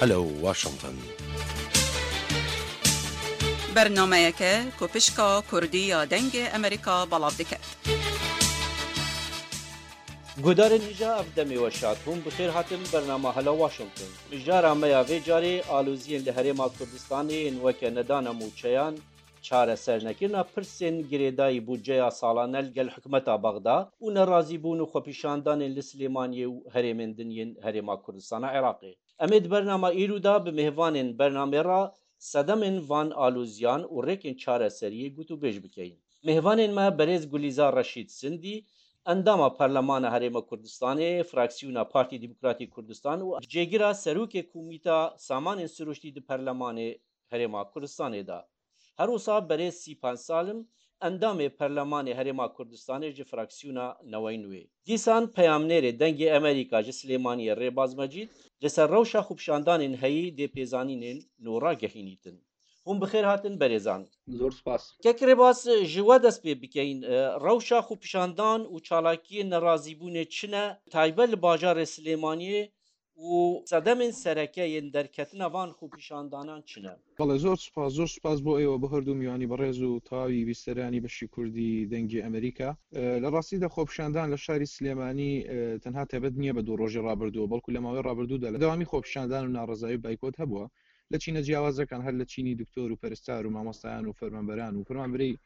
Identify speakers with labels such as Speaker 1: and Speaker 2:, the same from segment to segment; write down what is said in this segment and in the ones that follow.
Speaker 1: Hello Washington.
Speaker 2: Bernameyeke ku pişka Kurdî ya Dengê Amerîka belav dike.
Speaker 3: Guhdarên hêja ev demê we şad hûn bi xêr hatin bernama Hello Washington. Mijara me ya vê carê aloziyên li Herêma Kurdistanê yên weke nedana mûçeyan, Çaresernekirina pirsên girêdayî bûdceya salane li gel hikûmeta Bexda û nerazîbûn û xwepîşandanên li Silêmaniyê û herêmên din yên Herêma Kurdistana Iraqê. Em ê di bernama îro de bi mêvanên bernamê re sedemên van aloziyan û rêkên çareseriyê gotûbêj bikeyin. Mêvanên me Berêz Gulîzar Reşîd Sindî, endama Parlemana Herêma Kurdistanê, Fraksiyona Partî Demokratî Kurdistan û cêgira Serokê Komîta Samanên Siruştî di Parlemanê Herêma Kurdistanê de. Her wisa berêz Sîpan Salim, endamê Perlemanê Herêma Kurdistanê ji fraksiyona Newey Nwê. Dîsan peyamnêrê Dengê Emerîka ji Silêmaniyê Rêbaz Mecîd li ser rewşa xwepşandanên heyî dê pêzanînên nû ragehînîtin. Hûn bi xêr hatin berêzan.
Speaker 4: Zor spas.
Speaker 3: Kek Rêbaz ji we dest pê bikeyin. Rewşa xwepşandan û çalakiyên nerazîbûnê çi ne, taybet li bajarê Silêmaniyê Û sedemên sereke yên derketina van xwepîşandanan çi ne?
Speaker 4: Belê zor spas, zor spas bo êwe bo herdû mîwanî birêz û tawî bîsteranî beşî kurdî Dengê Amerîka. Li rastî de xwepîşandan li şarî Silêmanî tenha taybet nîye bi du rojê rabirdû belku li mawê rabirdû de li dewamî xwepîşandan û narezayî û baykot hebûa لە چینە جیاوازەکان هەر لە چینی دکتۆر و پەرستار و مامۆستایان و فەرمانبەران و فەرمانبەرەی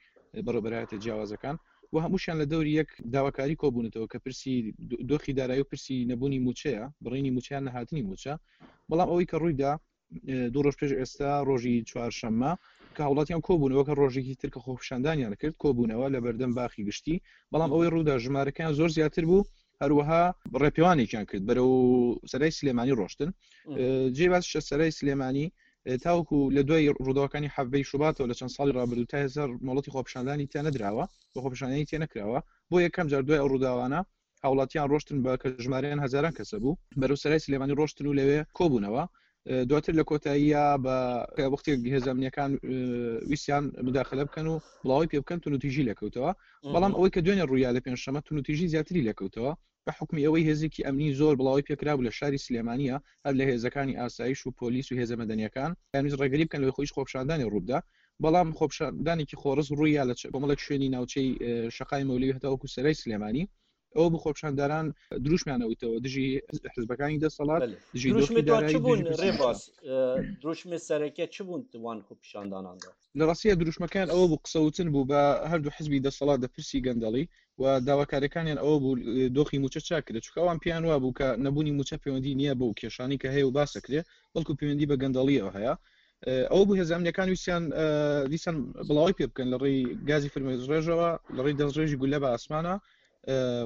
Speaker 4: بەڕێوەبەرایەتە جیاوازەکان و هەمووشیان لە دەوری یەک داواکاری کۆبوونەتەوە کە پرسی دۆخی دارایی و پرسی نەبوونی مووچەیە، بڕینی مووچە یان نەهاتنی مووچە. بەڵام ئەوەی کە ڕوویدا دوو ڕۆژ پێش ئێستا ڕۆژی چوارشەممە کە هاوڵاتیان کۆبوونەوە کە ڕۆژێکی تر کە خۆپیشاندانیان کرد کۆبوونەوە لە بەردەم باخی گشتی، بەڵام ئەوەی ڕوودا ژمارەکەیان زۆر زیاتر بوو، هەروەها ڕێپێوانێکیان کرد بەرەو سەرای سلێمانی ڕۆشتن. جێ باسیشە سەرای سلێمانی تاوەکو لە دوای ڕووداوەکانی حەڤدەی شوباتەوە لە چەند ساڵی ڕابردوو تا ئێستا مۆڵەتی خۆپیشاندانی تیا نەدراوە و خۆپیشاندانی تێ نەکراوە. بۆ یەکەم جار دوای ئەو ڕووداوانە هاوڵاتیان ڕۆشتن بە کە ژمارەیان هەزاران کەسە بوو بەرەو سەرای سلێمانی ڕۆشتن و لەوێ کۆبوونەوە. دواتر لە کۆتاییە بە وەختێک هێزە ئەمنییەکان ویستیان مداخلە بکەن و بڵاوەی پێ بکەن توندوتیژی لێکەوتەوە. بەڵام ئەوەی کە دوێنێ ڕوویا لە پێنجشەممە توندوتیژی زیاتری لێکەوتەوە. بە حوکمی ئەوەی هێزێکی ئەمنی زۆر بڵاوەی پێکرابوو لە شاری سلێمانییە، هەر لە هێزەکانی ئاسایش و پۆلیس و هێزە مەدەنییەکان، دەیانویست ڕێگری بکەن لەوەی خۆیش خۆپیشاندانی ڕووبدا، بەڵام خۆپیشاندانێکی خۆڕسک ڕووییا لە کۆمەڵێک شوێنی ناوچەی شەقامی مەولەوی هەتاوەکو سەرای سلێمانی، ئەوە بوو خۆپیشانداران دروشمیان ئەوتەوە دژی حزبەکانی دەسەڵات، دژی دۆخی
Speaker 3: دروشمی تۆ چ
Speaker 4: دارایی،
Speaker 3: بوون
Speaker 4: دژی پرسی مووچە.
Speaker 3: ڕێباز؟ دروشمی سەرەکە چ بوون وان خۆپیشانداناندا؟
Speaker 4: لە ڕاستییا دروشمەکەیان ئەوە بوو قسەوتن بوو بە هەردوو حزبی دەسەڵات لە پرسی گەندەڵی و داواکاریەکانیان ئەوە بوو دۆخی مووچە چاک کرێت چونکە ئەوان پێیان وابوو کە نەبوونی مووچە پەیوەندی نییە بەو کێشانەی کە هەیە و باس دەکرێت بەڵکو پەیوەندی بە گەندەڵیەوە هەیە ئەوە بوو هێزە ئەمنیەکان ویستیان دیسان بڵاوەی پێ بکەن لە ڕێی گازی فرمێسکڕێژەوە لە ڕێی دەستڕێژی گولە بە ئاسمانە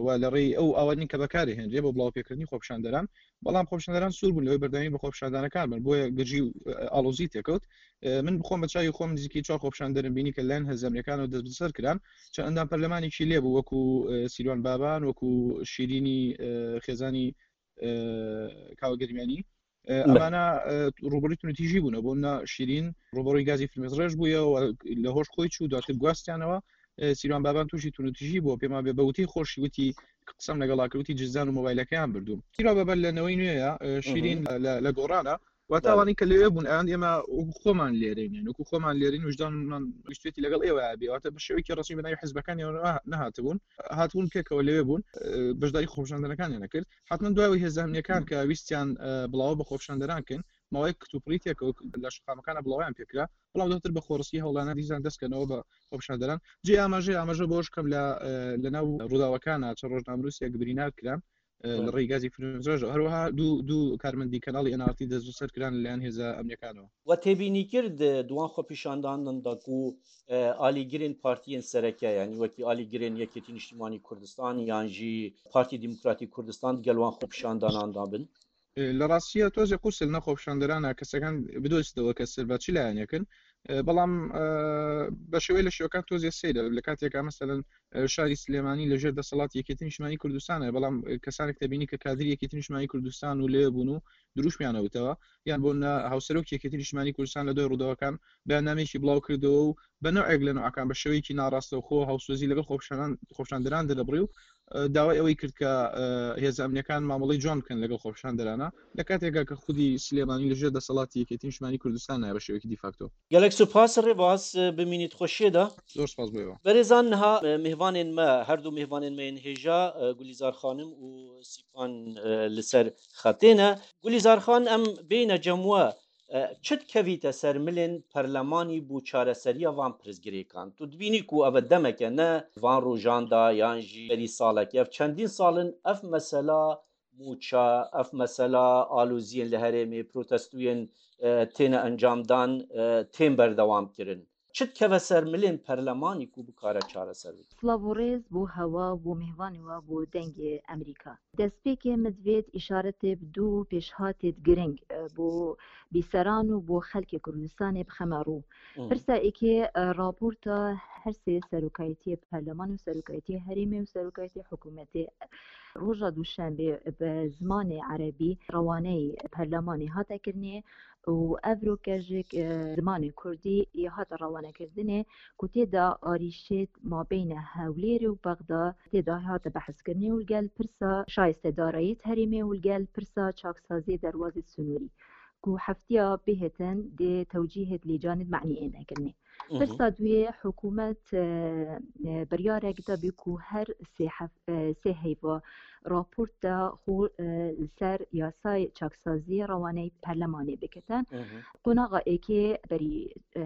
Speaker 4: و لە ڕێی ئەو ئاوانەی کە بەکارێ هێنرێ بۆ بڵاوپێکردنی خۆپیشاندەران بەڵام خۆپیشاندەران سوور بوون لەوەی بەردەوامی بە خۆپیشاندانەکان بن بۆیە گرژی و ئاڵۆزی تێکەوت من بخۆم بە چاوی خۆم نزیکەی چوار خۆپیشاندەرم بینی کە لایەن هێزە ئەمنیەکانەوە دەستبەسەر کران چەند ئەندام پەرلەمانێکی لێ بوو وەکو سیروان بابان وەکو شیرینی خێزانی کاوە گەرمیانی ئەمانە ڕوبڕی تونتیژی بوونە بۆ نە شیرین ڕوبڕی گازی فرمێسڕێژ بوویەوە لە هۆش خۆی چوو دواتر گواستیانەوە سیروان بابان تووشی تونتیژی بووە پێما بێ بەوتی خۆشی وتی قسەم لەگەڵا کردوتی جزدان و مۆبایلەکەیان بردووم سیروان بابان لە نەوەی نوێیە شیرین لە گۆڕانە واتە ئەوانەی کە لەوێ بوون ئەیان ئێمە وەکو خۆمان لێرەین یان وەکو خۆمان لێرەین وژدانمان ویستێتی لەگەڵ ئێوە بێ واتە بە شێوەیەکی ڕەسمی بە ناوی حزبەکانیان نەهاتبوون هاتبوون پێکەوە لەوێ بوون بەشداری خۆپیشاندانەکانیان نەکرد حتمما دوای ئەوەی هێزە ئەمنیەکان کە ویستیان بڵاوە بە خۆپیشاندەران کەن ماوەیەک کتوپڕی تێکەوت لە شەقامەکانە بڵاویان پێکرا بەڵام دواتر بە خۆڕسکی هەوڵانە دیسان دەستکەنەوە بە خۆپیشاندەران جێ ئاماژەیە ئاماژە بەوەش کەم لە لەناو ڕووداوەکانە چەند ڕۆژنامەنووسێک برینار کران لە ڕێی گازی فرمێسکڕێژەوە هەروەها دوو دوو کارمەندی کەناڵی NRT دەستبەسەر کران لەلایەن هێزە ئەمنیەکانەوە.
Speaker 3: و تێبینی کرد دوان خۆپیشاندانن دا کو ئالیگرێن پارتیێن سەرەکە یانی وەکی ئالیگرێن یەکێتی نیشتیمانی کوردستان یان ژی پارتی دیموکراتی کوردستان گەل وان خۆپیشاندانان دا بن.
Speaker 4: لە ڕاستییا تۆزێ قورسە لەناو خۆپیشاندەرانە کەسەکان بدۆزیتەوە کە سەر بە چ لایەنێکن بەڵام بە شێوەی لە شێوەکان تۆزێ سەیرە لە کاتێکا مەسەلەن شاری سلێمانی لەژێر دەسەڵاتی یەکێتی نیشتمانی کوردستانە بەڵام کەسانێک دەبینی کە کادری یەکێتی نیشتمانی کوردستان و لێ بوون و دروشمیان ئەوتەوە یان بۆ نە هاوسەرۆکی یەکێتی نیشتمانی کوردستان لە دوای ڕووداوەکان بەیاننامەیەکی بڵاو کردەوە و بە نەوعێک لە نەوعەکان بە شێوەیەکی ناڕاستەوخۆ هاوسۆزی لەگەڵ خۆپیشاندان خۆپیشاندەران دەربڕی و داوای ئەوەی کرد کە هێزە ئەمنیەکان مامەڵەی جوان بکەن لەگەڵ خۆپیشاندەرانە لە کاتێکا کە خودی سلێمانی لەژێر دەسەڵاتی یەکێتی نیشتمانی کوردستانە بە شێوەیەکی دیفاکتۆ.
Speaker 3: گەلەک سوپاس ڕێباز بمینیت خۆشیێدا.
Speaker 4: زۆر سپاس بۆ ئێوە.
Speaker 3: بەرێزان نها مێڤانێن مە هەردوو مێڤانێن مە ێن هێژا گولیزار خانم و سیپان لسەر خەتێنە. گولیزار خان ئەم بێینە جەم وە چ دکەڤیتە سەر ملێن پەرلەمانی بو چارەسەرییا ڤان پرسگرێکان؟ تو دبینی کو ئەڤە دەمەکە نە ڤان ڕوژاندا یان ژی بەری ساڵەکی ئەڤ چەندین ساڵن ئەڤ مەسەلا موچە، ئەڤ مەسەلا ئالوزیێن لە هەرێمێ، پرۆتەستویێن تێنە ئەنجامدان تێن بەردەوام کرن. چ دکەڤە سەر ملێن پەرلەمانی کو بکارە چارەسەر بکە؟
Speaker 1: سڵاڤ و ڕێز بۆ هەوا و بۆ مێهوانی وە بۆ دەنگێ ئەمریکا. دەستپێکێ مدڤێت ئیشارەتێ بدوو پێشهاتێت گرنگ بۆ بیسەران و بۆ خەلکێ کوردستانێ بخەمە ڕوو. پرسا ئێکێ ڕاپۆرتا هەرسێ سەرۆکایەتیێ پەرلەمان و سەرۆکایەتیێ هەرێمێ و سەرۆکایەتیێ حکوومەتێ ڕۆژا دووشەنبێ بە زمانێ عەرەبی ڕەوانەی پەرلەمانێ هاتە کردنێ و ئەڤرۆکەژێک زمانێ کوردی هاتە ڕەوانەکردنێ کو تێدا ئاریشێت مابینە هەولێر و بەغدا تێدا هاتە بەحسکردنێ و گەل پرسا شایستە داراییت هەرێمێ و گەل پرسا چاکسازی دەروازێت سنووری کو هەفتیا بهێتن دێ تەوجیهێت لێجانت معنی ئێنەکردنێ پرسا دوێ حکوومەت بڕیارێک دابی کو هەر سێ هەیڤە راپۆرتدا خۆ لەسەر یاسای چاکسازی ڕەوانەی پەرلەمانێ بکەتن قۆناغا ئێکێ بەری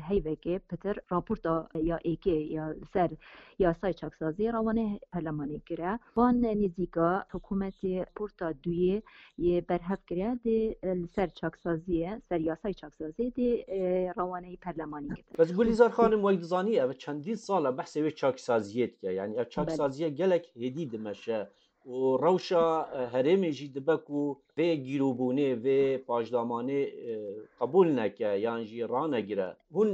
Speaker 1: هەیڤێکێ پتر راپۆرتا یا ئێکێ یا لەسەر یاسای چاکسازی ڕەوانەی پەرلەمانێ کرا وان نزیکا حکوومەتی پۆرتا دوێ یê berhev kiriye dê li ser çaksaziyê ser yasay çaksaziyê dê rewaneyî perlemanî kitin.
Speaker 3: Bes Gulîzar xanim wek dizanî ev çendîn sal e behsê wê çaksaziyê dike. Yanî ev çaksaziye gelek hêdî dimeşe û rewşa herêmê jî dibe ku vê gîrobûnê, vê paşdamanê qebûl neke yan jî ranegire. Hûn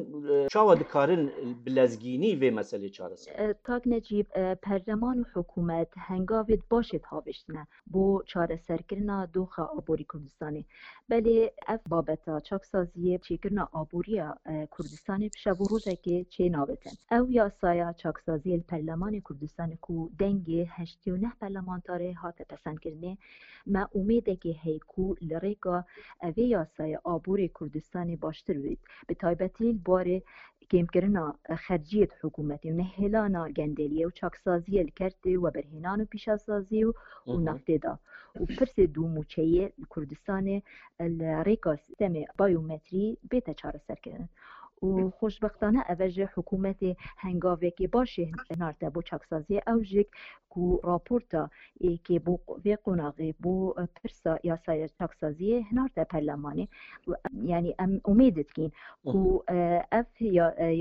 Speaker 3: çawa dikarin bi lezgînî vê meselê çareser bikin?
Speaker 1: Kak Necîb, perleman û hikûmet hengavê di başê dihavêjtine. Bo çareserkirina doxa aborî Kurdistanê. Belê ev babeta çaksaziyê çêkirina aboriya Kurdistanê bi şev û rojekê çê nabitin. Ew yasaya çaksaziyê li Perlemanê Kurdistanê ku dengê 89 perlemantarê hate pesendkirinê, me umêdekê heye ku li rêka evê yasayê aborê Kurdistanê baştir bibît. Bi taybetî li barê kêmkirina xerciyê di hikûmetê û nehêlana gendeliyê û çaksaziyê li kertê weberhênan û pîşesazî û naftê da û pirsê dû mûçeyê li Kurdistanê li rêka sîstemê bayometrî bête çareserkirin û xoşbextane eve ji hikûmetê hengavekê başê hinarte bo çaksaziyê ew jî ku raporta êkê bo vê qonaxê bo pirsa yasaya çaksaziyê hinarte perlemanê yanî em umêd dikîn ku ev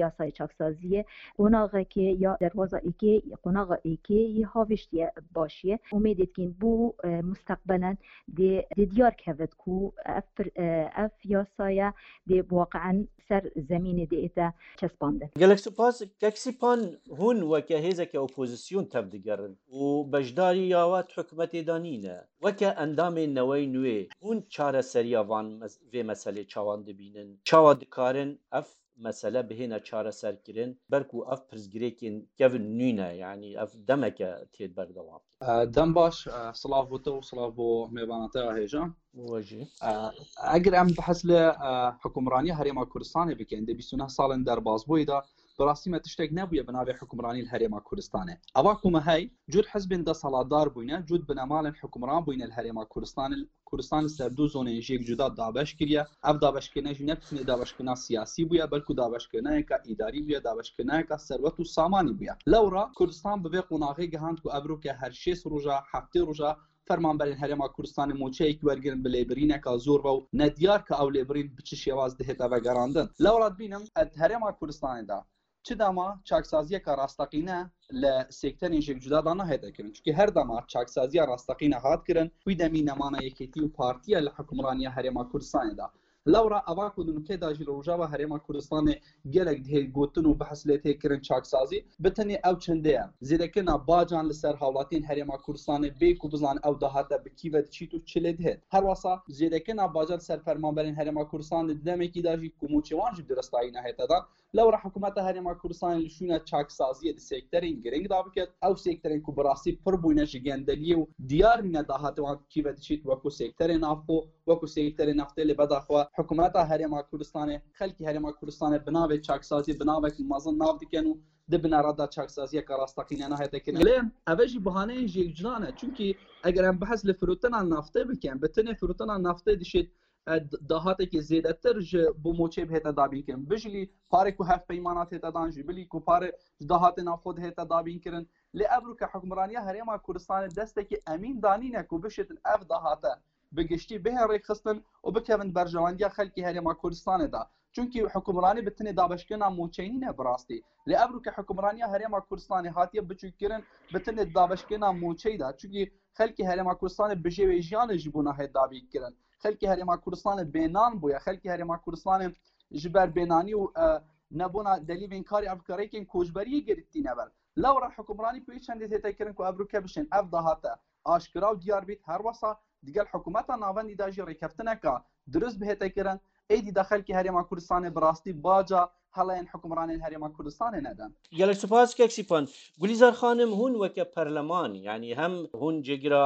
Speaker 1: yasaya çaksaziyê qonaxekê ya derwaza êkê qonaxa êkê yê havêştiye başiye umêd dikîn bo musteqbelen dê dê diyar kevit ku ev ev yasaya dê waqean ser zemînê dê ête çespandin.
Speaker 3: Gelek spas Kek Sîpan hûn weke hêzeke opozîsyon tevdigerin û beşdarî ya we di hikûmetê de nîne. Weke endamên Newey Nwê hûn çareseriya van vê meselê çawan dibînin? Çawa dikarin ev mesele bihêne çareserkirin ber ku ev pirsgirêkên kevn nîne yanî ev demeke têt berdewam.
Speaker 5: Dem baş, silav bo te û silav bo mêvana te ya hêja.
Speaker 3: We jî.
Speaker 5: Eger em behs li hikûmraniya Herêma Kurdistanê bikin di 29 salên derbasbûyî de bi rastî me tiştek nebûye bi navê hikûmranî li Herêma Kurdistanê. Eva ku me hey cûd hizbên deselatdar bûyne, cûd binemalên hikûmran bûyne li Herêma Kurdistanê, Kurdistan li ser du zonên jêk cuda dabeş kiriye. Ev dabeşkirine jî ne bi tenê dabeşkirina siyasî bûye, belku dabeşkirinayeka îdarî bûye, dabeşkirinayeka serwet û samanî bûye. Lewra Kurdistan bi vê qonaxê gihand ku ev roke her şêst roja, heftê roja fermanberên Herêma Kurdistanê moçeyek wergirin bi lêbirîneka zor ve û nediyar ka ew lêbirîn bi çi şêwaz dihête vegerandin. Lewra dibînim di Herêma Kurdistanê de Çi dema çaksaziyeka rasteqîne li sekterên jêk cuda da nahête kirin. Çunkî her dema çaksaziya rasteqîne hat kirin, wî demî nemana Yekêtî û Partiya li hikûmraniya Herêma Kurdistanê da. Lewra eva ku di nûkê de jî li Rojava Herêma Kurdistanê gelek dihê gotin û behs lê tê kirin çaksazî bi tenê ew çendê ye. Zêdekirina bacan li ser hawlatiyên Herêma Kurdistanê bê ku bizan ew dahate bi kî ve diçît û çi lê dihêt. Herwesa zêdekirina baca li ser fermanberên Herêma Kurdistanê di demekî de jî ku mûçê wan jî bi direstayî nehête dan. Lewra hikûmeta Herêma Kurdistanê li şûna çaksaziyê di sekterên giring de biket, ew sekterên ku bi rastî pir bûne ji gendeliyê û diyar nîne dahatê wan kî ve diçît wekû sekterê navxwe, wekû sekterê neftê lê beda xwe hikûmeta Herêma Kurdistanê, xelkê Herêma Kurdistanê bi navê çaksaziyê bi navek mezin nav dikin û di binera de çaksaziyeke rasteqîne nahête kirin. Lê eve jî bihaneyên jêkcuda ne çunkî eger em behs li firotina neftê bikin bi tenê firotina neftê dişêt dahatekê zêdetir ji bo moçê bihête dabînkirin. Bijilî parê ku hevpeymana tête dan ji bilî ku parê ji dahatê navxwe dihête dabînkirin. Lê ev rûke hikûmraniya Herêma Kurdistanê destekî emîn danîne ku bişêtin ev dahate bi giştî bihê rêkxistin û bikevin berjewendiya xelkê Herêma Kurdistanê de. Çunkî hikûmranî bi tenê dabeşkirina mûçeyê nîne bi rastî. Lê ev rûke hikûmraniya Herêma Kurdistanê hatiye biçûkkirin bi tenê dabeşkirina mûçeyê de. Çunkî xelkê Herêma Kurdistanê bijêwê jiyanê ji bo nahê dabînkirin. Xelkê Herêma Kurdistanê bênan bûye. Xelkê Herêma Kurdistanê ji ber bênanî û nebûna delîvên karê ev rêkên koçberiyê girtîne ber. Lewra hikûmranî pêwîst çendê tête kirin ku ev rûke bişên ev dahate aşkira û diyar bît herwesa digel hikûmeta navendî de jî rêkeftineka dirust bihête kirin êdî de xelkê Herêma Kurdistanê bi rastî baca heleyên hikûmranên Herêma Kurdistanê nedin.
Speaker 3: Gelek spas kek Sîpan. Gulîzar xanim hûn weke perleman yanî hem hûn cêgira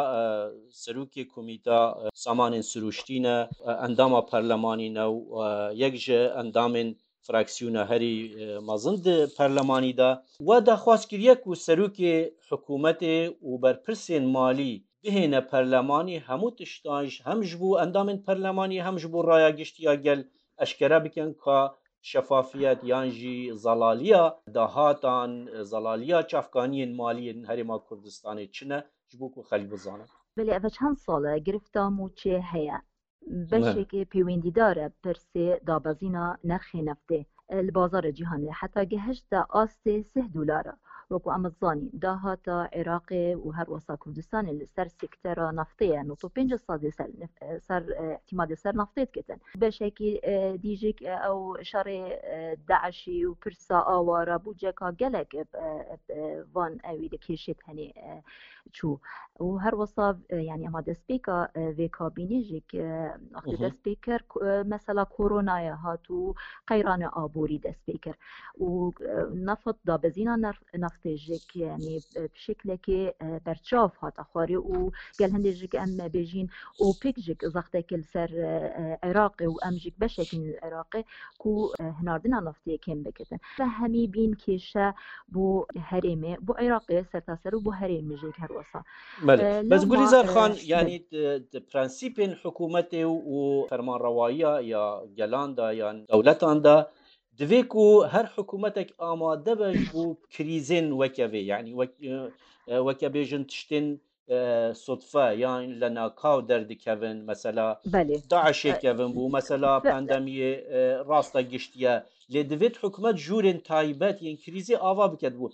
Speaker 3: serokê komîta samanên sirûştî ne, endama perlemanî ne û yek ji endamên fraksiyona herî mezin di perlemanî de. We daxwaz kiriye ku serokê hikûmetê û berpirsên malî bihêne perlemanî hemû tiştan hem ji bo endamên perlemanî hem ji bo raya giştî ya gel eşkere bikin ka şefafiyet yan jî zelaliya dahatan, zelaliya çavkaniyên malî yên Herêma Kurdistanê çi ne ji bo ku xelk bizane.
Speaker 1: Belê ev çend sal e girifta mûçê heye. Beşekê pêwendîdar e pirsê dabezîna nerxê neftê li bazara cîhanê heta gihişte astê sih dolara. Wekû em dizanîn dahata Iraqê û her wesa Kurdistanê li ser sektera neftê ye 95 sadê ser ser îtîmadê ser neftê diketin. Beşekî dîjik ew şerê DAIŞ'î û pirsa awara bûceka gelek van ewî li kêşê tenê çû û her wisa yanî ema destpêka vê kabînê jî wextê dest pê kir mesela koronayê hat û qeyrana aborî dest pê kir û neft dabezîna neftê jî yanî bi şeklekê berçav hate xwarê û gel hindê jî em bêjîn OPEC jî zextekê li ser Iraqê û em jî beşekî li Iraqê ku hinardina neftê kêm bikitin. Ve hemî bîn kêşe bo herêmê bo Iraqê sertaser û bo herêmê jî her wisa.
Speaker 3: Belê. Bes Gulîzar Xan yanî di prensîpên hikûmetê û fermanrewayiya ya gelan de yan dewletan de divê ku her hikûmetek amade be ji bo krîzên weke vê yanî weke bêjin tiştên sutfe yan li nakaw derdikevin mesela DAIŞê kevin bû mesela pandemiyê rasta giştiye lê divêt hikûmet jûrên taybet yên krîzê ava biket bû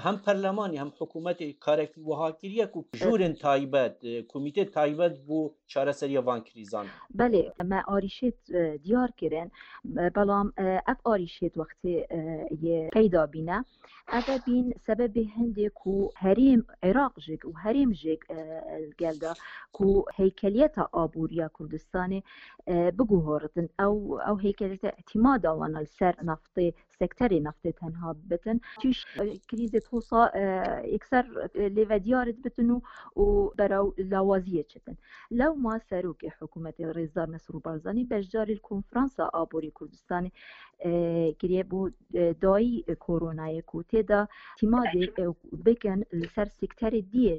Speaker 3: hem perlemanî hem hikûmetê karekî wiha kiriye ku jûrên taybet komîtê taybet bû çareseriya van krîzan.
Speaker 1: Belê me arîşêt diyar kirin belam ev arîşêt wextê yê peyda bîne Ev bîn sebebê hindê ku herêm Iraq jî û herêm jî gel de ku heykeliyeta aboriya Kurdistanê biguhoritin ew ew heykeliyeta îtîmada wan li ser naftê sekterê naftê tenha bitin tûş krîzê tosa yekser lêvediyar bitin û û beraw lawaziyê çitin. Lewma serokê hikûmetê Rêzdar Mesrûr Barzanî beşdarî li konferansa aborî Kurdistanê kiriye bû dayî koronayê ku tê de tîmadê bikin li ser sekterê diyê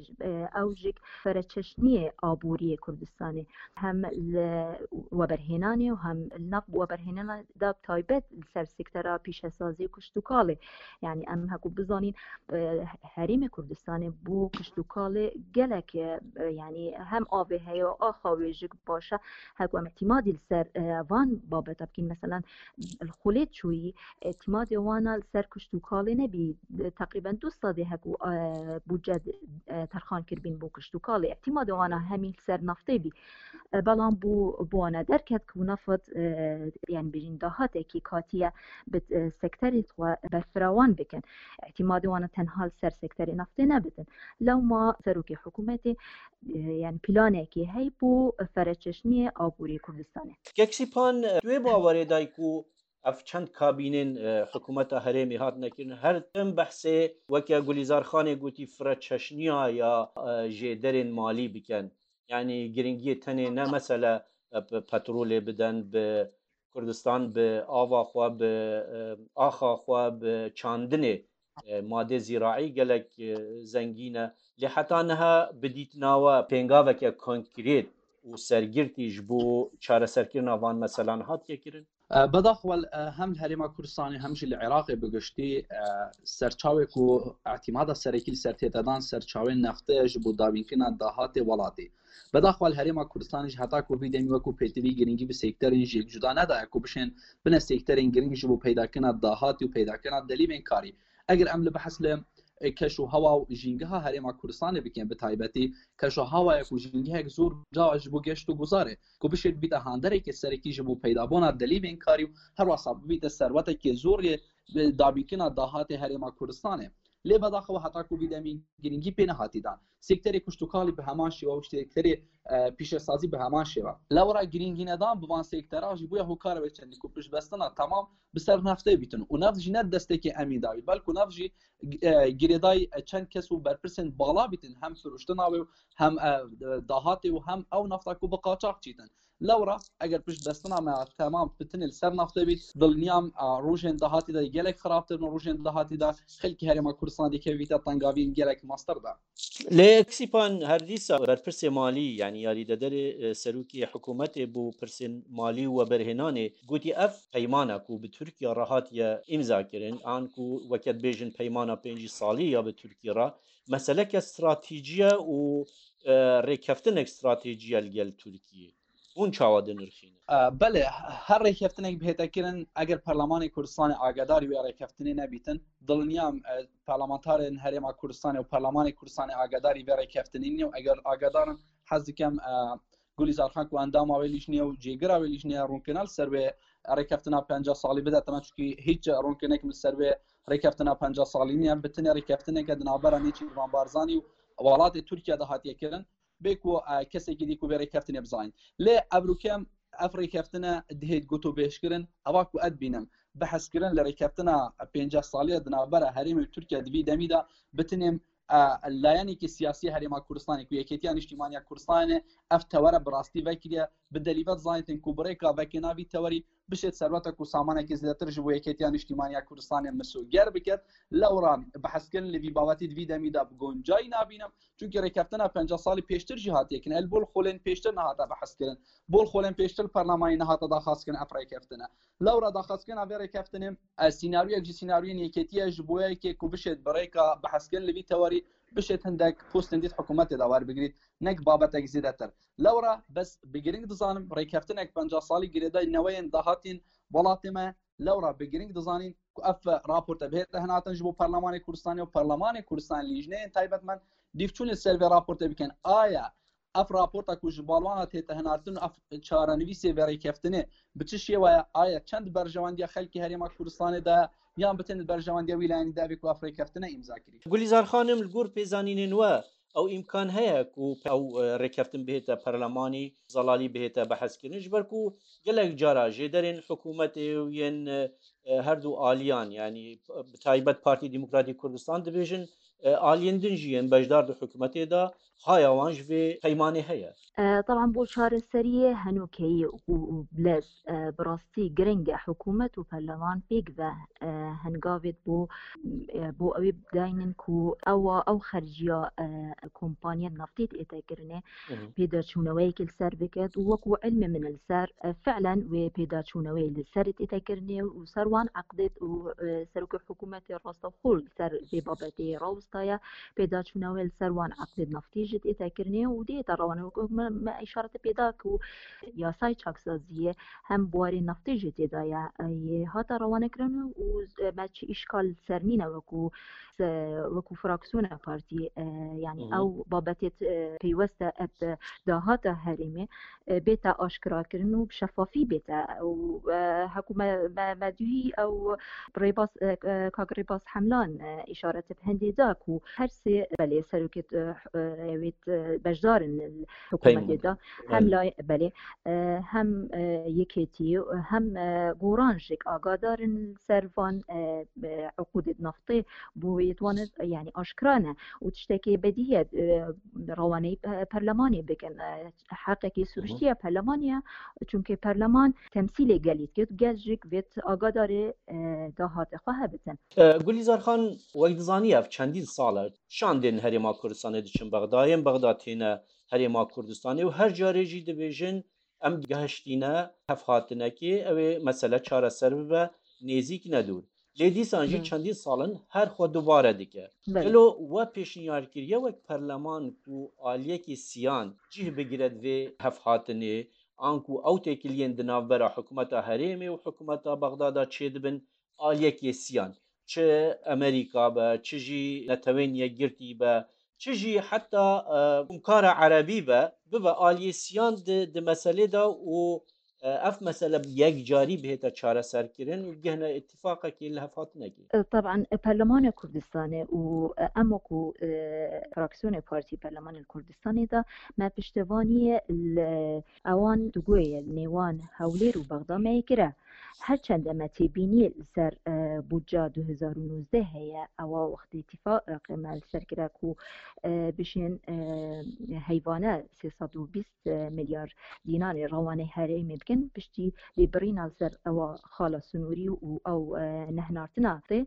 Speaker 1: ew jî fereçeşniyê aboriyê Kurdistanê hem li weberhênanê û hem li nav weberhênana da taybet li ser sektera pîşesazî û kiştûkalê yani em heku bizanîn. زانین هەرێمی کوردستانێ بۆ کشتوکاڵێ گەلەک یعنی هەم ئاوێ هەیە و ئاخا وێژک باشە هەکو ئەم اعتمادی لەسەر وان بابەتە بکەین مەسەلەن خولێت چووی اعتمادی وانە لەسەر کشتوکاڵێ نەبی تقریبا دو سەدێ هەکو بودجە تەرخان کردبین بۆ کشتوکاڵێ اعتمادی وانە هەمی لەسەر نەفتێ بی بەڵام بۆ بۆنە دەرکەت و نەفت یان بژین داهاتێکی کاتیە سێکتەری خوا بەرفراوان بکەن اعتمادی وانە تەنها سەر سێکتەری نەفتێ نەبتن لەوما سەرۆکی حکوومەتی یان پیلانێکی هەی بۆ فەرەچەشنیە ئابووری کوردستانێ.
Speaker 3: کاک سیپان دوێ باوەرێ دایک و ئەف چەند کابینên حکوومەتە هەرێمی هاتنە کردن هەر تم بەحسێ وەکە گولیزار خانێ گوتی فرە چەشنیا یا ژێدەرێن مالی بکەن یعنی گرنگیە تەنێ نە مەسەلە پەترۆلێ بدەن بە کوردستان بە ئاوا خوا بە ئاخا خوا بە چاندنێ مادێ زیراعی گەلەک زەنگینە لێ حتا نها بدیتناوە پێنگاوەکە کۆنکرێت و سەرگرتیش بۆ چارەسەرکردنا وان مەسەلان هاتیە کردن.
Speaker 5: بەداخوە هەم لە هەرێما کوردستانی هەمژی لە عێراقێ بگشتی سەرچاوێک و اعتیمادە سەرەکی سەر تێتەدان سەرچاوێن نەفتە ji بۆ دابینکردنا داهاتێ وڵاتی بەداخوە لە هەرێما کوردستانیش هەتا کۆڤی دەمی وەکو پێتوی گرنگی bi سێکتەرên jêk cuda nedaya ku bişên bine سێکتەرên گرنگ ji bo peydakirina dahatî û peydakirina delîvên karî. Eger em li behs li keş û hewa û jîngeha herêma Kurdistanê bikin bi taybetî keş û hewayek û jîngehek zor cawa ji bo geşt û guzarê ku bişêt bîte handerekê serekî ji bo peydabûna delîvên karî û herwesa bibîte serwetekê zor yê dabînkirina dahatê herêma Kurdistanê. Lê bedaxewe heta ku vî demî girîngî pê nehatî dan. Sekterê kuştukalî bi heman şêwe û sekterê pîşesazî bi heman şêwe. Lewra girîngî nedan bi van sektera jî bûye hokara wê çendî ku piştbestina temam bi ser neftê bîtin û neft jî ne destekê emîn dawî belku neft jî girêdayî çend kes û berpirsên bala bîtin hem firoştina wê û hem dahatê û hem ew nefta ku bi qaçax çîtin. Lewra eger piştbestina me temam bitinê li ser naftê bît dilniyam rojên dahatî de gelek xirabtir bin rojên dahatî de xelkê herêma Kurdistanê dikevîte tengaviyên gelek meztir de.
Speaker 3: Lê Sîpan her dîsa berpirsê malî yanî yarîdederê serokê hikûmetê bo pirsên malî û weberhênanê gotî ev peymana ku bi Tirkiye re hatiye îmzakirin an ku weke dibêjin peymana 50 salî ya bi Tirkiye re meseleke stratejî ye û rêkeftinek stratejî ye li gel Tirkiyê. Hûn çawa dinirxînin?
Speaker 5: Belê, her rêkeftinek bihête kirin eger Perlemanê Kurdistanê agadarî wê rêkeftinê nebîtin, dilniyam parlamentarên Herêma Kurdistanê û Perlemanê Kurdistanê agadarî vê rêkeftinê nîne û eger agadar in hez dikem Gulîzar Xan ku endama wê lîjneyê û cêgira wê lîjneyê rûnkirina li ser wê rêkeftina 50 salî bide te me çunkî hîç rûnkirinek min li ser wê rêkeftina 50 salî nîye bi tenê rêkeftineke di navbera Nêçîrvan Barzanî û welatê Tirkiye de hatiye kirin bê ku kesekî dî ku vê rêkeftinê bizanîn. Lê evrûkem ev rêkeftine dihêt gotûbêjkirin eva ku ez bînim behskirin li rêkeftina 50 saliya di navbera herêmê û Tirkiye di vî demî de bitinêm layenekî siyasî herêma Kurdistanê ku Yekêtiya Niştîmaniya Kurdistanê ev tewere bi rastî vekiriye bi delîvet zanîtin ku bi rêka vekirina vî tewerî bişêt serweta ku samanekî zêdetir ji bo Yekêtiya Niştîmaniya Kurdistanê misoger biket lewra behskirin li vî babetî di vî demî de bi goncayî nabînim çunkî rêkeftina 50 salî pêştir jî hatiye kirin el bol xolên pêştir nehate behskirin bol xolên pêştir perlemanî nehate daxwazkirin ev rêkeftine lewra daxwazkirina vê rêkeftinê sînaryoyek ji sînaryoyên yekêtiye ji bo yekê ku bişêt bi rêka behskirin li vî tewerî bişêt hindek postên dît hikûmetê de werbigrît nek babetek zêdetir lewra bes bi giring dizanim rêkeftinek 50 salî girêdayî neweyên dahatîn welatê me lewra bi giring dizanîn ku ev raporte bihête hinatin ji bo Perlemanê Kurdistanê û Perlemanê Kurdistanê lîjneyên taybetmend dîvçûnê ser vê raportê bikin aya ev raporta ku ji balwana tête hinartin û ev çarenivîsê vê rêkeftinê bi çi şêwaya aya çend berjewendiya xelkê herêma Kurdistanê de yan bi tenê berjewendiya wî de vê ku ev rêkeftine îmza kirî.
Speaker 3: Gulîzar xanim li gor pêzanînên we ew îmkan heye ku ew rêkeftin bihête perlemanî zelalî bihête behskirin ji ber ku gelek cara jêderên hikûmetê û yên her du aliyan yanî bi taybet Partî Demokratîk Kurdistan dibêjin aliyên din jî yên beşdar di hikûmetê de. Haya wan ji vê peymanê heye.
Speaker 1: Taban bo çareseriyê henokeyî û bilez bi rastî giring e hikûmet û perleman pêk ve hengavêt bo bo ewê bidaynin ku ewa ew xerciya kompaniya naftê tête kirinê pêdaçûneweyekê li ser biket û wekû ilmê min li ser fi'len wê pêdaçûneweyê li ser tête kirinê û ser wan eqdêt û serokê hikûmetê rastewxwe li ser vê babetê rawestaye Pêdaçûna wê li ser wan eqdê naftî jî tête kirinê û dê te rewanê wek me me îşaretê pê da ku yasayê çaksaziyê hem biwarê naftê jî tê de ye yê hate rewanekirin û me çi îşkal li ser nîne wekû wekû fraksiyona partî yanî ew babetê pêwest e bi dahata herêmê bête aşkirakirin û bi şefafî bête û hekû me me me duhî ew rêbaz kak rêbaz hemlan îşaret bi hindê da ku her sê belê serokê wê beşdar in hikûmetê da hem lay belê hem yekêtî hem goran jik agadar in ser van uqûdê naftê bo wê wan yanî aşkira ne û tiştekê bedî ye rewaneyî perlemanê bikin heqekî siruştî ye perlemanê ye çunkê perleman temsîlê gelî dike gel jî vêt agadarê dahate xwe hebitin.
Speaker 3: Gulîzar Xan wek dizanî ev çendîn sal e şandên Herêma Kurdistanê diçin Bexda, yên Bexda têne Herêma Kurdistanê û her carê jî dibêjin em gehiştîne hevhatinekê ew ê mesele çareser bibe nêzîk ne dûr. Lê dîsan jî çendîn sal in her xwe dubare dike. Gelo we pêşniyar kiriye wek perleman ku aliyekî siyan cih bigire di vê hevhatinê an ku ew têkiliyên di navbera hikûmeta herêmê û hikûmeta Bexda de çêdibin aliyekê siyan çi Amerîka be çi jî Netewên Yekgirtî be çi jî heta Komkara Erebî be bibe aliyê siyan di meselê de û Ev mesele bi yekcarî bihête çareserkirin û bigihine îtîfaqekê li hevhatinekê.
Speaker 1: Teb'an Perlemana Kurdistanê û em wekû fraksiyonê Partî Perlemanê li Kurdistanê de me piştevaniyê li ewan dugoyê li nêwan Hewlêr û Bexda me yê kire. Her çend me têbîniyê li ser bûdca 2019 heye ewa wextê îtîfaqê me li ser kire ku bişên heyvane 320 milyar dînarê rewanê herêmê bikin piştî lêbirîna li ser ewa xala sinûrî û ew nehinartina tê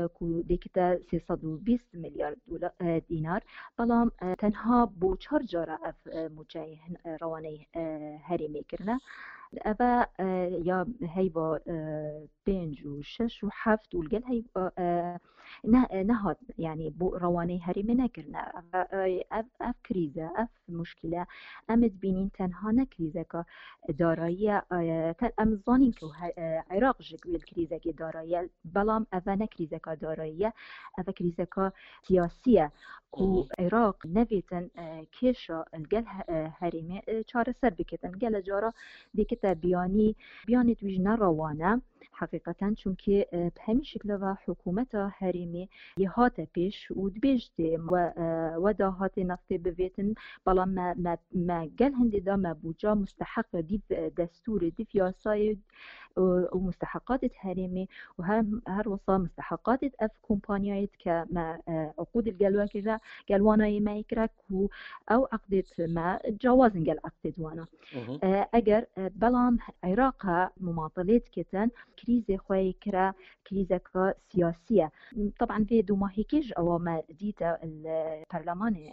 Speaker 1: ku dêkite 320 milyar dînar belam tenha bo çar cara ev mûçeyê rewanê herêmê kirine. Eve ya heyva pênc û şeş û heft û li gel heyva nehat yanî bo rewanê herêmê nekirine. Ev ev krîz e, ev muşkile em dibînîn tenha ne krîzeka darayî ye em zanîn ku Iraq ji wê krîzekê darayî ye belam ev ne krîzeka darayî ye ev krîzeka siyasî ye ku Iraq nevêtin kêşa li gel herêmê çareser bikitin gele cara dêkite biyanî biyanê wî ji ne rewan e Heqîqeten çunkî bi hemî şikla ve hikûmeta herêmê yê hate pêş û dibêj tê we dahatê neftê bivêtin belam me me me gel hindê de me bûca musteheq dîv destûrê dîv yasayê û musteheqatê herêmê û her her wisa musteheqatê ev kompanyayê dike me uqûd li gel we kire gel wana yê me kire ku ew eqdêt me cawazin gel eqdêt wana. Eger belam Îraqa mumatilê diketin krîzê xwe yê kire krîzeka siyasî ye. Taban vê dûmahîkê ji ewa me dîte li perlemanê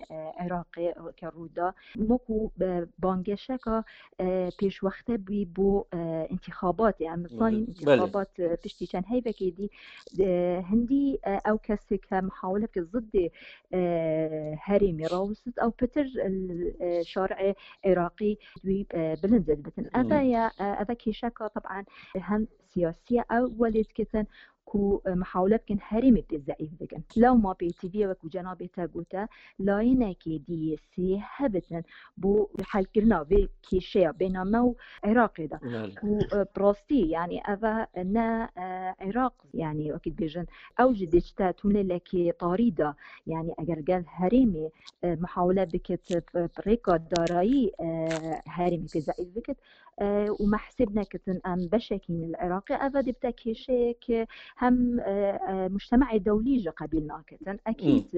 Speaker 1: Îraqê ke rû da wekû bangeşeka pêşwexte bû bo întîxabatê. Em zanîn întîxabat piştî çend heyvekê dî hindî ew kesê ke mihawile bike ziddê herêmê rawist ew pitir şarê Iraqî wî bilind dibitin. Ev ye ev kêşeka taban hem siyasiye ew welê diketin ku mihawile bikin herêmê pê zeîf bikin. Lewma pêtiviyê wekû cenabê te gote layinekê DYC hebitin bo helkirina vê kêşeya bêhna me û Iraqê de. Ku bi rastî yanî ev ne Iraq yanî wekî dibêjin ew jî dê çite tunelekê tarî de yanî eger gel herêmê mihawile bikit bi rêka darayî herêmê pê zeîf bikit. و مە حسێب نەکردن ئەم بەشێکین لە عێراقی ئەڤە دەبتە کێشەیەک هەم مجتمع دەولی ژە قەبیل ناکردن ئەکید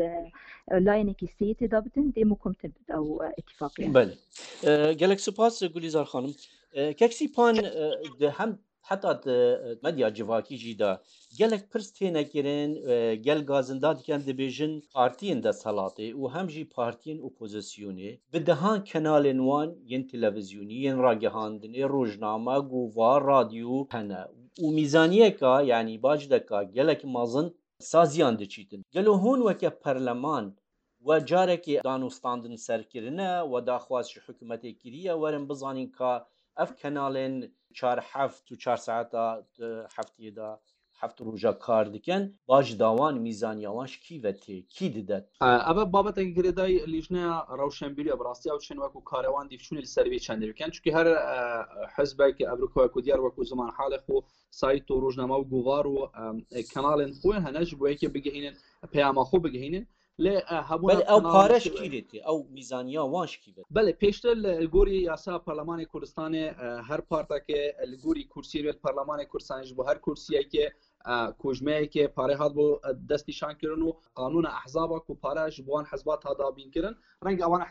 Speaker 1: لایەنێکی سێ تێدا بتن دێم و کمتر بت ئەو اتفاقیە.
Speaker 3: بەلێ گەلەک سوپاس گولیزار خانم کەک سیپان هەم حتا مەدیا جڤاکی ژی دا گەلەک پرس تێنە کرن گەل گازندا دکەن دبێژن پارتیên دەستهەڵاتێ و هەم ژی پارتیên ئۆپۆزیسیۆنێ bi dehan kenalên wan yên televîzyonî yên ragihandinê rojname govar radyo hene û mîzaniyeka yanî bacdeka gelek mezin saziyan diçîtin. Gelo hûn weke perleman we carekê danûstandin ser kirine, we daxwaz ji hikûmetê kiriye werin bizanîn ka ev kenalên çar heft û çar saeta di hefteyê de heft roja kar dikin, bac da wan, mîzaniya wan ji kî ve tê, kî dide?
Speaker 5: Ev babetekî girêdayî lîjneya rewşenbîrî ye. Bi rastî ew çên wekû karewan dîvçûnê li ser vê çendê bikin. Çunkî her hizbek Ewropa wekû diyar wekû zimanhalê xwe sayt û rojname û govar û kanalên xwe hene ji bo yekê bigihînin peyama xwe bigihînin. Lê hebûna
Speaker 3: Belê ew pare ji kî rê tê, ew mîzaniya wan ji kî ve tê?
Speaker 5: Belê pêştir li gorî yasa Parlemanê Kurdistanê her partekê li gorî kursiyê wê li Parlemanê Kurdistanê ji bo her kursiyekê kojmeyekê pare hatibû destnîşankirin û qanûna ehzaba ku pare ji bo wan hizbat hat dabînkirin renge ewan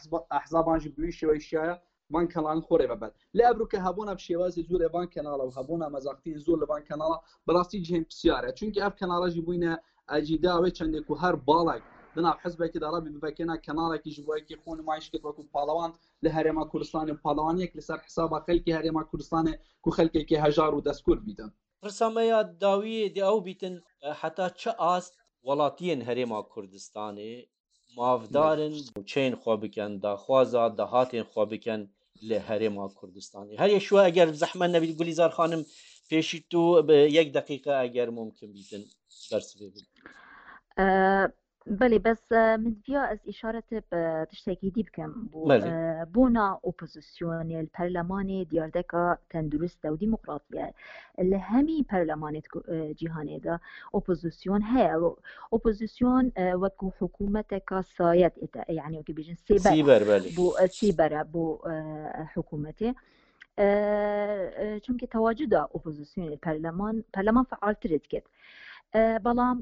Speaker 5: ehzaban jî bi wî şêweyî şiyaye van kanalên xwe rêve ber. Lê ev rûke hebûna bi şêwazê zor ê van kanala û hebûna mezaxtiyên zor li van kanala bi rastî cihên pisyar e. Çunkî ev kanala jî bûyne ecîda wê çendê ku her balek di nav hizbekê de rebî bivekêna kanalekî ji bo yekê xwe nimayîş kir wekû palewan li Herêma Kurdistanê û palewaniyek li ser hisaba xelkê Herêma Kurdistanê ku xelkekê hejar û destkur bîtin.
Speaker 3: Pirsa me ya dawiyê dê ew bîtin heta çi ast welatiyên Herêma Kurdistanê mafdar in mûçeyên xwe bikin, daxwaza dahatên xwe bikin li Herêma Kurdistanê. Her yek şiwa eger zehmet nebît Gulîzar xanim pêşî tu bi yek deqîqe eger mumkin bîtin bersivê bidî.
Speaker 1: Belê bes min diviya ez îşaretê bi tiştekî dî bikim bo bona opozisyonê li perlemanê diyardeka tendurist e û demokratî ye. Li hemî perlemanê cîhanê de opozisyon heye. Opozisyon wekû hikûmeteka sayet ête yanî wekî bêjin sêber
Speaker 3: Sîber belê.
Speaker 1: bo sîber e bo hikûmetê. Çimkî tewacuda opozisyonê perleman perleman fealtir dikit. بەڵام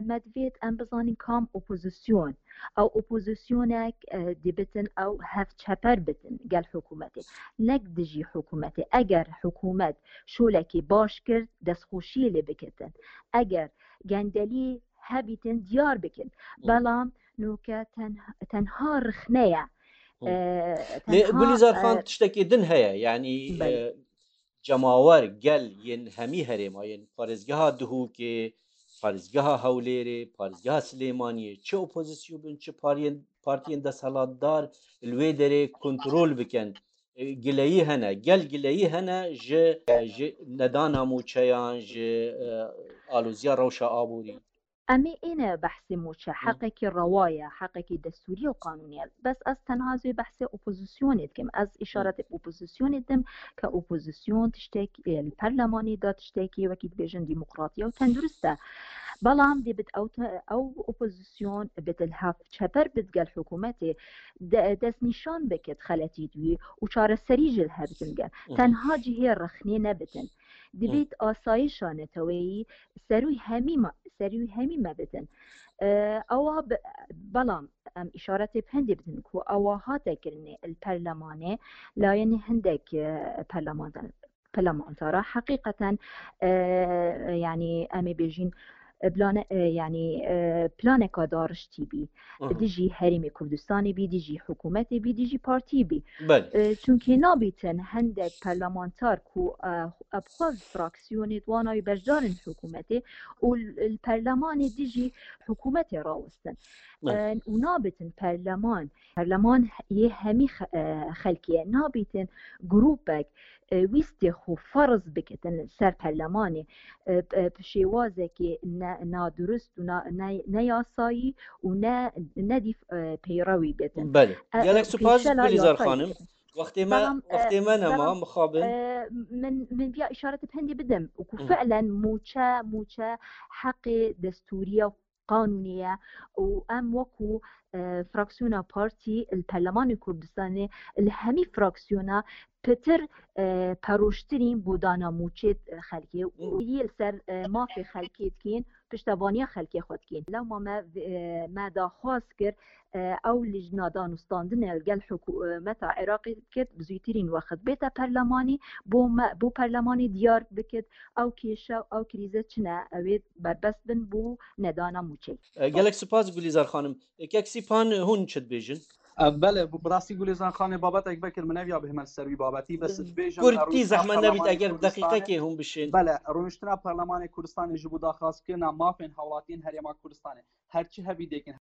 Speaker 1: مەدڤێت ئەم بزانین کام ئۆپۆزیسیۆن ئەو ئۆپۆزیسیۆنێک دەبتن ئەو هەف چەپەر بتن گەل حکوومەتێ نەک دژی حکوومەتێ ئەگەر حکوومەت شۆلێکی باش کرد دەستخۆشی لێ بکردن ئەگەر گەندەلی هەبیتن دیار بکەن بەڵام نوکە تەنها ڕخنەیە
Speaker 3: گولیزار خان تشتێکی دن هەیە یعنی جەماوەر، گەل، yên hemî herêma yên parêzgeha Dihokê, parêzgeha Hewlêrê, parêzgeha Silêmaniyê çi opozîsyon bin çi pariyên partiyên desthilatdar li wê derê kontrol bikin. Gileyî hene, gel gileyî hene ji ji nedana mûçeyan, ji aloziya rewşa aborî.
Speaker 1: Em ê êne behsê mûçe, heqekî rewa ye, heqekî destûrî û qanûnî ye. Bes ez tenha ez wê behsê opozisyonê dikim. Ez îşaretê bi opozisyonê didim ke opozisyon tiştek li perlemanê de tiştekî wekî dibêjin demokratî ye û tendurist e. Belam dê bit ew ew opozisyon bi dilhev çeper bit gel hikûmetê destnîşan bikit xeletî wî û çareserî ji li hev bikin gel. Tenha cihê rexnê nebitin. Divêt asayişa neteweyî serûy hemî serûy hemî me bidin. Ewa belam em îşaretê bi hindê bidin ku ewa hate kirinê li perlemanê layenê hindek perlemantar perlemantara heqîqeten yanî em ê bêjîn plane yanî planeka dariştî bî dijî herêmê Kurdistanê bî dijî hikûmetê bî dijî partî bî çunkê nabîtin hendek perlemantar ku ev xwe fraksiyonê wana wî beşdarin hikûmetê û li perlemanê dijî hikûmetê rawestin û nabîtin perleman Perleman yê hemî xelkê ye. Nabîtin grûpek wîstê xwe ferz bikitin ser perlemanê bi şêwazekê nadurist û neyasayî û nedîf peyrewî bitin.
Speaker 3: Belê. Gelek spas Gulîzar xanim. Wextê me wextê me nema mixabin.
Speaker 1: Min min viya îşaretê bi hindê bidim ku fi'len mûçe mûçe heqê destûrî ye. قانونیە و ئەم وەکو فراکسیۆنا پارتی پەرلەمانی کوردستانێ لە هەمی فراکسیۆنا پتر پەرۆشترین بۆ دانا موچێت خەلکێ و سەر مافی خەلکێ دکەین پشتەوانیا خەلکێ خۆ دکەین لەوما مە مە داخواز کرد ئەو لیژنا دانوستاندنە گەل حکوومەتا عێراقی کرد بزووترین وەخت بێتە پەرلەمانی بۆ بۆ پەرلەمانی دیار بکرد ئەو کێشە و ئەو کریزە چنە ئەوێت بەربەست بن بۆ نەدانا مووچەی.
Speaker 3: گەلەک سوپاس گولیزار خانم. کاک سیپان هون چ دبێژن؟
Speaker 5: بەلێ بڕاستی گولیزان خانێ بابەتێک بکرد من نەویا بهمە سەر وی بابەتی بەس دبێژم
Speaker 3: کورتی زەحمەت نەبیت ئەگەر دەقیقەکێ هون بشێن.
Speaker 5: بەلێ ڕونشتنا پەرلەمانێ کوردستانێ ژ بۆ داخوازکردنا مافێن هاوڵاتیێن هەرێما کوردستانێ هەرچی هەبی دێکن.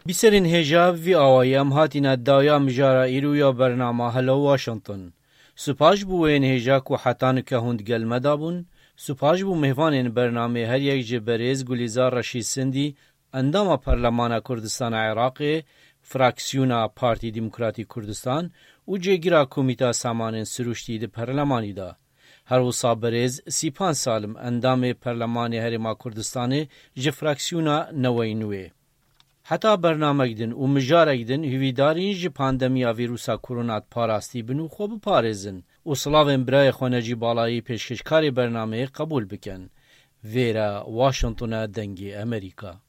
Speaker 3: بیسەرên hêja bi vî awayî em hatîne daya mijara îro ya bernama Hello Washington. Spas ji bo wên hêja ku heta nika hûn digel me da bûn, spas ji bo mêvanên bernamê her yek ji berêz Gulîzar Reşîd Sindî, endama Perlemana Kurdistana Iraqê, Fraksiyona Partî Demokratî Kurdistan û cêgira Komîta Samanên Sirûştî di Perlemanî de. Her wisa berêz Sîpan Salim endamê Perlemanê Herêma Kurdistanê ji Fraksiyona Newey Nûê. Heta bernamek din û mijarek din hêvîdarîn ji pandemiya vîrusa korona parastî bin û xwe biparêzin û silavên birayê xwe Necî Balayî pêşkêşkarê bernameyê qebûl bikin. Vêre Washington e Dengê Amerîka.